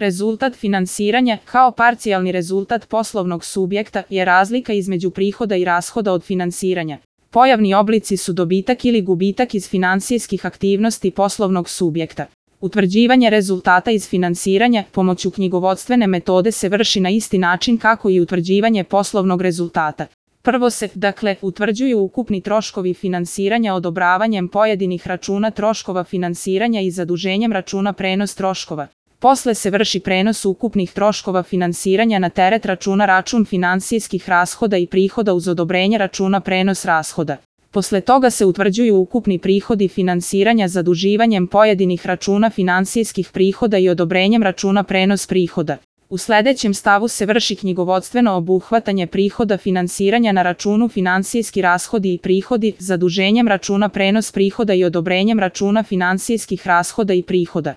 Rezultat finansiranja, kao parcijalni rezultat poslovnog subjekta, je razlika između prihoda i rashoda od finansiranja. Pojavni oblici su dobitak ili gubitak iz finansijskih aktivnosti poslovnog subjekta. Utvrđivanje rezultata iz finansiranja pomoću knjigovodstvene metode se vrši na isti način kako i utvrđivanje poslovnog rezultata. Prvo se, utvrđuju ukupni troškovi finansiranja odobravanjem pojedinih računa troškova finansiranja i zaduženjem računa prenos troškova. Posle se vrši prenos ukupnih troškova finansiranja na teret računa račun finansijskih rashoda i prihoda uz odobrenje računa prenos rashoda. Posle toga se utvrđuju ukupni prihodi finansiranja zaduživanjem pojedinih računa finansijskih prihoda i odobrenjem računa prenos prihoda. U sledećem stavu se vrši knjigovodstveno obuhvatanje prihoda finansiranja na računu finansijski rashodi i prihodi, zaduženjem računa prenos prihoda i odobrenjem računa finansijskih rashoda i prihoda.